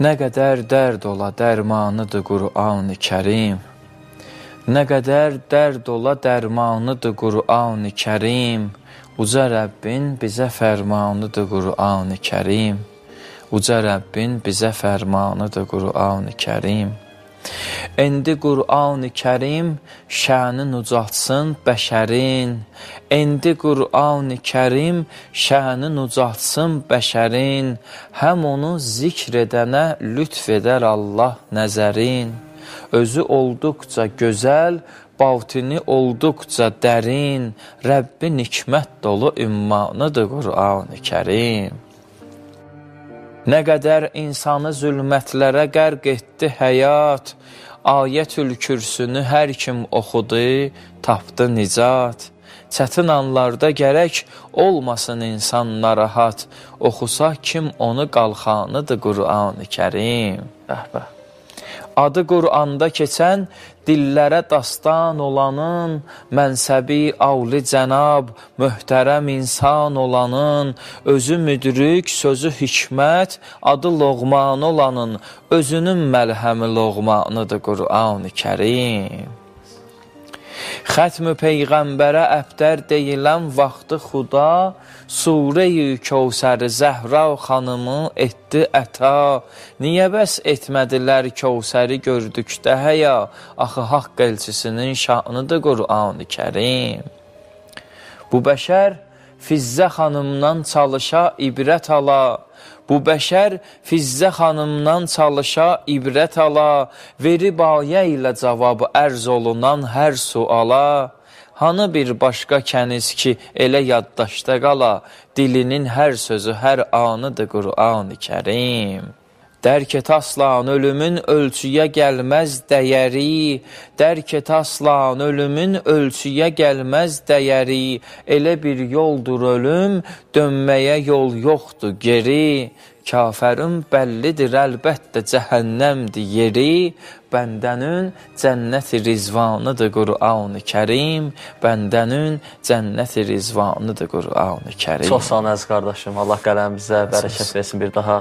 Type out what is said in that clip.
Nə qədər dərd ola dərmanıdır Qur'an-ı Kərim. Nə qədər dərd ola dərmanıdır Qur'an-ı Kərim. Uca Rəbbin bizə fərmanıdır Qur'an-ı Kərim. Uca Rəbbin bizə fərmanıdır Qur'an-ı Kərim. İndi Qur'an-ı Kərim şənin ucaltsın bəşərin. İndi Qur'an-ı Kərim şənin ucaltsın bəşərin. Həm onu zikr edənə lütf edər Allah nəzərin. Özü olduqca gözəl, batini olduqca dərin. Rəbbin hikmət dolu ümmanıdır Qur'an-ı Kərim. Nə qədər insanı zülmətlərə qərq etdi həyat, Ayətül Kürsünü hər kim oxudu, tapdı nicat. Çətin anlarda gərək olmasın insan narahat, oxusa kim onu qalxanıdır Qur'an-ı Kərim. Adı Qur'anda keçən, dillərə dastan olanın, mənsəbi avli cənab, möhtərəm insan olanın, özü müdrik, sözü hikmət, adı Loğman olanın, özünün məlhəmi Loğmanıdır Qur'an-ı Kərim. Xətm-ü Peyğəmbərə əbdər deyilən vaxtı Xuda, Surə-i Kəvsər Zəhra xanımı etdi əta. Niyə bəs etmədilər Kəvsəri gördükdə həya, axı haqq elçisinin şanıdır Qur'an-ı Kərim. Bu bəşər Fizzə xanımdan çalışa ibrət ala. Bu bəşər Fizzə xanımdan çalışa ibrət ala, verib ayə ilə cavab ərz olunan hər suala. Hanı bir başqa kəniz ki, elə yaddaşda qala, dilinin hər sözü hər anıdır Qur'an-ı Kərim. Dərk et aslan ölümün ölçüyə gəlməz dəyəri, dərk et aslan ölümün ölçüyə gəlməz dəyəri, elə bir yoldur ölüm, dönməyə yol yoxdur geri. Kafərin bəllidir əlbəttə cəhənnəmdir yeri, bəndənin cənnət-i rizvanıdır Qur'an-ı Kərim, bəndənin cənnət-i rizvanıdır Qur'an-ı Kərim. Çox sağ olun əziz qardaşım, Allah qələmimizə bərəkət versin bir daha.